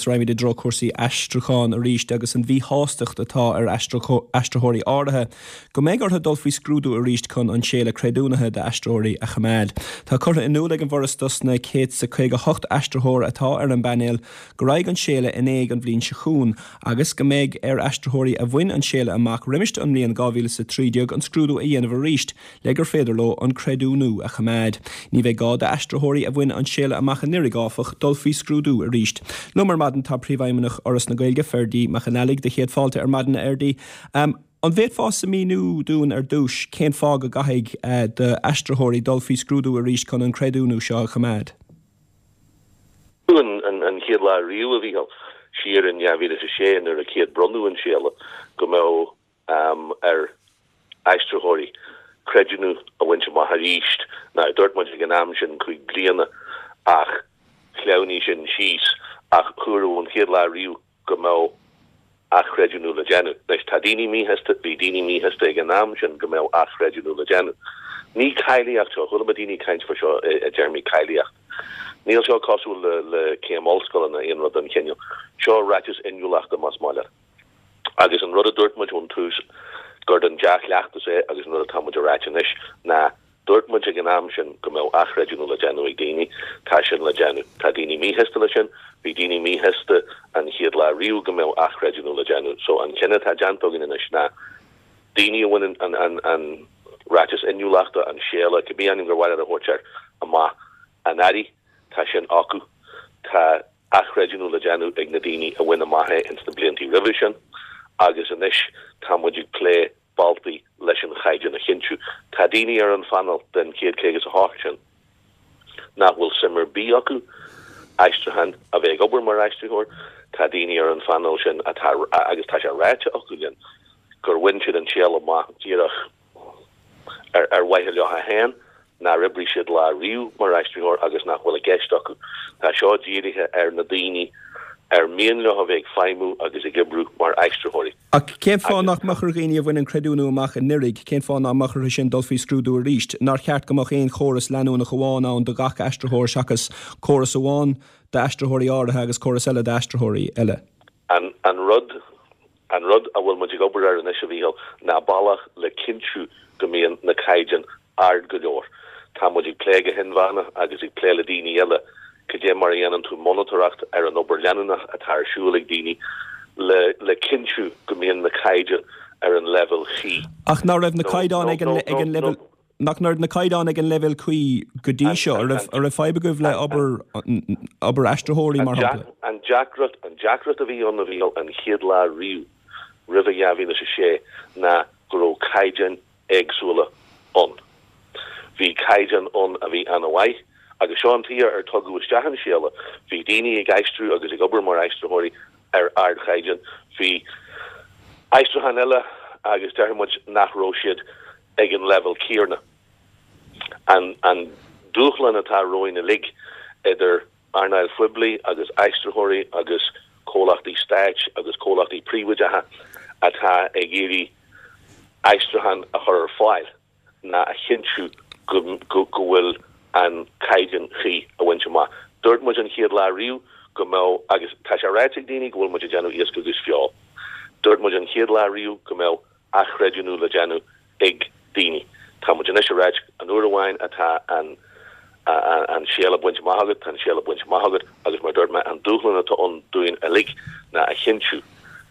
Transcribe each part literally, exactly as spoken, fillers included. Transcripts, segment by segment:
raghaimid i dtreo cúrsaí aistriúcháin arís agus an mhíshástacht atá ar aistritheoirí áirithe go mbeidh orthu dul faoi scrúdú arís chun an séala creidiúnaithe d'aistritheoirí a choimeád. Tá curtha in iúl ag an bhForas dos na céad is caoga hocht aistritheoir atá ar an bpainéal go raghaidh an séala in éag an bhliain seo chugainn agus go mbeidh ar aistritheoirí a bhain an séala amach roimis an mbliain dhá mhíle is a trí déag an scrúdú a dhéanamh arís le gur féidir leo an creidiúnú a choimeád. Ní bheidh gá d'aistritheoirí a bhain an séala amach anuraidh, áfach, dul faoi scrúdú arís. Liom ar maidin tá Príomhfheidhmeannach Fhoras na Gaeilge, Ferdie Mac an Fhailigh. Do chéad fáilte ar maidin, a Fherdie. An bhféadfása míniú dúinn ar dtús cén fáth go gcaithfidh d'aistritheoirí dul faoi scrúdú arís chun an creidiúnú seo a choimeád? An chéad lá riamh, a Mhíchíl, siar in dhá mhíle is a sé nuair a chéad bronnadh an séala, go mbeadh ar aistritheoirí creidiúnú a bhaint amach arís. Now, dúirt muid ag an am sin cúig bliana ach shleamhnaigh sin síos ach dúradh ón chéad lá riamh go mbeadh athchreidiúnú le déanamh. Anois, tá daoine míshásta, bhí daoine míshásta ag an am sin go mbeadh athchreidiúnú le déanamh. Ní cáilíocht seo, chuala mé daoine ag caint faoi seo i dtéarmaí cáilíocht. Níl seo cosúil le le céim ollscoile ná aon rud den chineál. Seo ráiteas inniúlachta más maith leat. Agus an rud a dúirt muid ón tús gur den dea-chleachtas é agus an rud atá muid a ráit anois ná dúirt muid ag an am sin go mbeadh athchreidiúnú le déanamh ag daoine, tá sin le déanamh. Tá daoine míshásta leis sin, bhí daoine míshásta an chéad lá riamh go mbeadh athchreidiúnú le déanamh. So an cinneadh atá déanta againn anois ná daoine a bhaineann an an an ráiteas inniúlachta, an séala, cibé ainm gur mhaith leat a thabhairt air, amach anuraidh, tá sin acu. Tá athchreidiúnú le déanamh ag na daoine a bhain amach é ins na bliantaí roimhe sin agus anois tá muid ag plé bealtaí leis an chaighdeán a chinntiú. Tá daoine ar an phainéal den chéad caoga is a hocht sin nach bhfuil suim ar bith acu aistriúchán a bheith ag obair mar aistritheoir, tá daoine ar an phainéal sin atá, agus tá sé ráite acu linn, gur bhain siad an séala amach díreach ar ar mhaithe leo féin, nár oibrigh siad lá riamh mar aistritheoir agus nach bhfuil i gceist acu. Tá seo dírithe ar na daoine ar mian leo a bheith ag feidhmiú agus ag oibriú mar aistritheoirí. Ach cén fáth nach mbeadh ar dhaoine a bhain an creidiúnú amach anuraidh, cén fáth nach mbeadh orthu sin dul faoi scrúdú arís? Nár cheart go mbeadh aon chóras leanúnach amháin ann do gach aistritheoir seachas córas amháin d'aistritheoirí áirithe agus córas eile d'aistritheoirí eile? An an rud an rud a bhfuil muid ag obair air anois, a Mhíchíl, ná bealach le cinntiú go mbíonn na caighdeáin ard go leor. Tá muid ag plé go hinmheánach agus ag plé le daoine eile cad é mar a dhéanann tú monatóireacht ar an obair leanúnach atá ar siúl ag daoine le le cinntiú go mbíonn na caighdeáin ar an leibhéal chuí. Ach ná raibh na caighdeáin ag an ag an leibhéal nach raibh na caighdeáin ag an leibhéal cuí go dtí seo? An raibh an raibh fadhb agaibh le obair obair aistritheoirí mar shampla? An deacracht an deacracht a bhí ann, a Mhíchíl, an chéad lá riamh roimhe dhá mhíle is a sé ná go raibh caighdeáin éagsúla ann. Bhí caighdeán ann a bhí an-mhaith, agus seo an tuige ar tugadh isteach an séala, bhí daoine ag aistriú agus ag obair mar aistritheoirí ar ardchaighdeán, bhí aistriúcháin eile agus déarfaidh muid nach raibh siad ag an leibhéal céanna. An an dúshlán atá romhainn uilig, idir earnáil phoiblí agus aistritheoirí agus comhlachtaí stáit agus comhlachtaí príobháideacha atá ag iarraidh aistriúchán a chur ar fáil ná a chinntiú go go bhfuil an caighdeán cuí á bhaint amach. Dúirt muid an chéad lá riamh go mbeadh, agus tá sé ráite ag daoine go bhfuil muid ag déanamh iasc agus feoil, dúirt muid an chéad lá riamh go mbeadh athchreidiúnú le déanamh ag daoine. Tá muid anois ag ráit an uair amháin atá an an séala bainte amach agat, tá an séala bainte amach agat agus mar a dúirt mé, an dúshlán atá ann dúinn uilig ná a chinntiú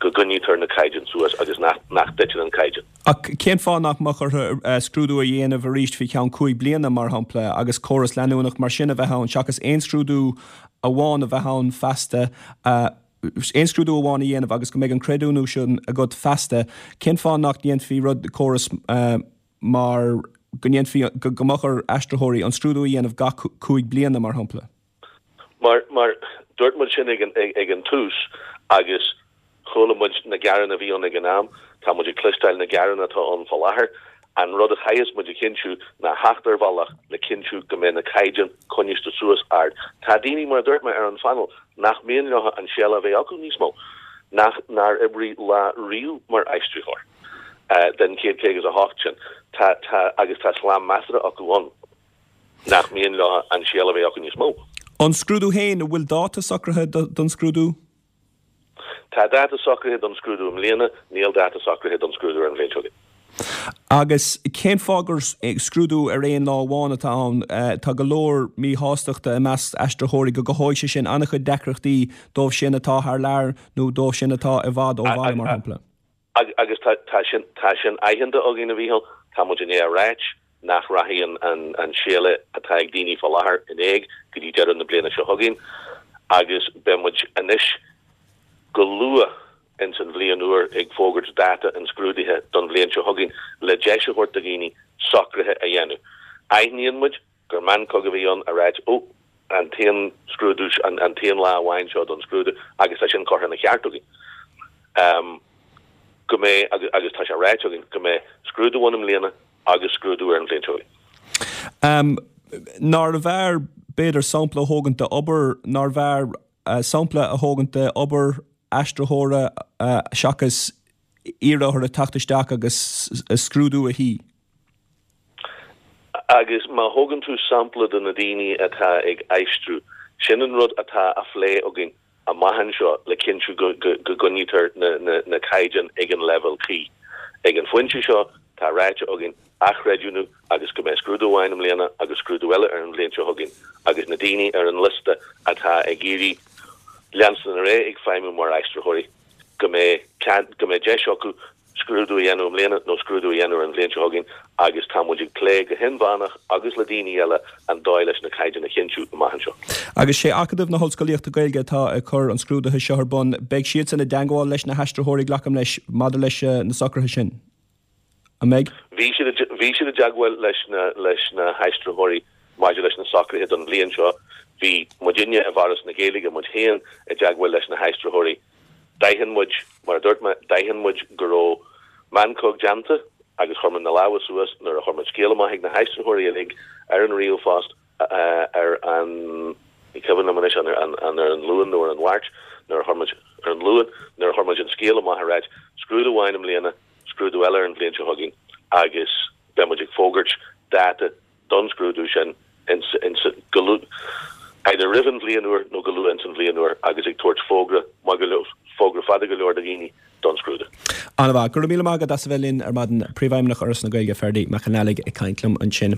go gcoinnítear na caighdeáin suas agus nach nach dtiteann an caighdeán. Ach cén fáth nach mbeadh orthu scrúdú a dhéanamh arís faoi cheann cúig bliana, mar shampla, agus córas leanúnach mar sin a bheith ann seachas aon scrúdú amháin a bheith ann feasta, aon scrúdú amháin a dhéanamh agus go mbeidh an creidiúnú sin agat feasta? Cén fáth nach ndéanfaí rud, córas mar go ndéanfaí, go mbeadh ar aistritheoirí an scrúdú a dhéanamh gach cúig bliana, mar shampla? Mar, mar, dúirt muid sin ag an, ag an tús agus chuala muid na gearáin a bhí ann ag an am, tá muid ag cloisteáil na gearáin atá ann fá láthair. An rud a chaithfeas muid a chinntiú ná theacht ar bhealach le cinntiú go mbeidh na caighdeáin coinniste suas ard. Tá daoine, mar a dúirt mé, ar an phainéal nach mian leo an séala a bheith acu níos mó, nach, nár oibrigh lá riamh mar aistritheoir den chéad caoga is a hocht sin. Tá, tá, agus tá slám measartha acu ann. nach mian leo an séala a bheith acu níos mó. An scrúdú féin, an bhfuil dáta socraithe don scrúdú? Tá dáta socraithe don scrúdú i mbliana, níl dáta socraithe don scrúdú ar an bhliain seo chugainn. Agus cén fáth gur scrúdú ar aon lá amháin atá ann? Tá go leor míshástachta i measc aistritheoirí go gcothóidh sé sin an-chuid deacrachtaí dóibh sin atá thar lear nó dóibh sin atá i bhfad ó bhaile, mar shampla. Agus tá sin tá sin aitheanta againn, a Mhíchíl, tá muid i ndiaidh a ráit nach rachaidh an an séala atá ag daoine fá láthair in éag go dtí deireadh na bliana seo chugainn agus beidh muid anois go luath ins an bhliain úr ag fógairt dáta an scrúdaithe don bhliain seo chugainn le deis a thabhairt do dhaoine socruithe a dhéanamh. Aithníonn muid gur meancóg a bhí ann a ráit, 'Ó, an t-aon scrúdú, an t-aon lá amháin seo don scrúdú agus tá sin curtha ina cheart againn. Go mbeidh, agus tá sé ráite againn, go mbeidh scrúdú ann i mbliana agus scrúdú ar an bhliain seo chugainn. Nárbh fhearr, b'fhéidir, sampla a thógaint d'obair, nárbh fhearr sampla a thógaint d'obair aistritheora seachas iarraidh orthu teacht isteach agus scrúdú a shuí? Agus má thógann tú sampla de na daoine atá ag aistriú, sin an rud atá á phlé againn amach anseo le cinntiú go gcoinnítear na caighdeáin ag an leibhéal cuí. Ag an phointe seo, tá ráite againn athchreidiúnú agus go mbeidh scrúdú amháin i mbliana agus scrúdú eile ar an bhliain seo chugainn agus na daoine ar an liosta atá ag iarraidh leanstan ar aghaidh ag feidhmiú mar aistritheoirí, go mbeidh cead, go mbeidh deis acu scrúdú a dhéanamh i mbliana nó scrúdú a dhéanamh ar an bhliain seo chugainn agus tá muid ag plé go hinmheánach agus le daoine eile an dóigh leis na caighdeáin a chinntiú amach anseo. Agus sé Acadamh na hOllscolaíochta Gaeilge atá ag cur an scrúdaithe seo ar bun. Beidh siadsan i dteangmháil leis na haistritheoirí, glacaim leis, maidir leis na socruithe sin. An mbeidh? Bhí siad bhí siad i dteagmháil leis na leis na haistritheoirí maidir leis na socruithe don bhliain seo. Bhí muidinne i bhForas na Gaeilge, muid féin, i dteagmháil leis na haistritheoirí. D'aithin muid, mar a dúirt mé, d'aithin muid go raibh meancóg déanta agus chuir muid na lámha suas nuair a chuir muid scéal amach ag na haistritheoirí uilig ar an ríomhphost ar an, ní cuimhin liom anois an an ar an Luan nó ar an Mháirt, nuair a chuir muid, ar an Luan, nuair a chuir muid an scéal amach ag ráit, scrúdú amháin i mbliana, scrúdú eile ar an bhliain seo chugainn agus beidh muid ag fógairt dáta don scrúdú sin ins, ins, go luath, either roimh an bhliain úr nó go luath ins an bhliain úr agus ag tabhairt fógra maith go leor, fógra fada go leor do dhaoine don scrúdú. An-mhaith. Go raibh míle maith agat as a bheith linn ar maidin. Príomhfheidhmeannach Fhoras na Gaeilge, Ferdie Mac Con Ailligh ag caint liom ansin.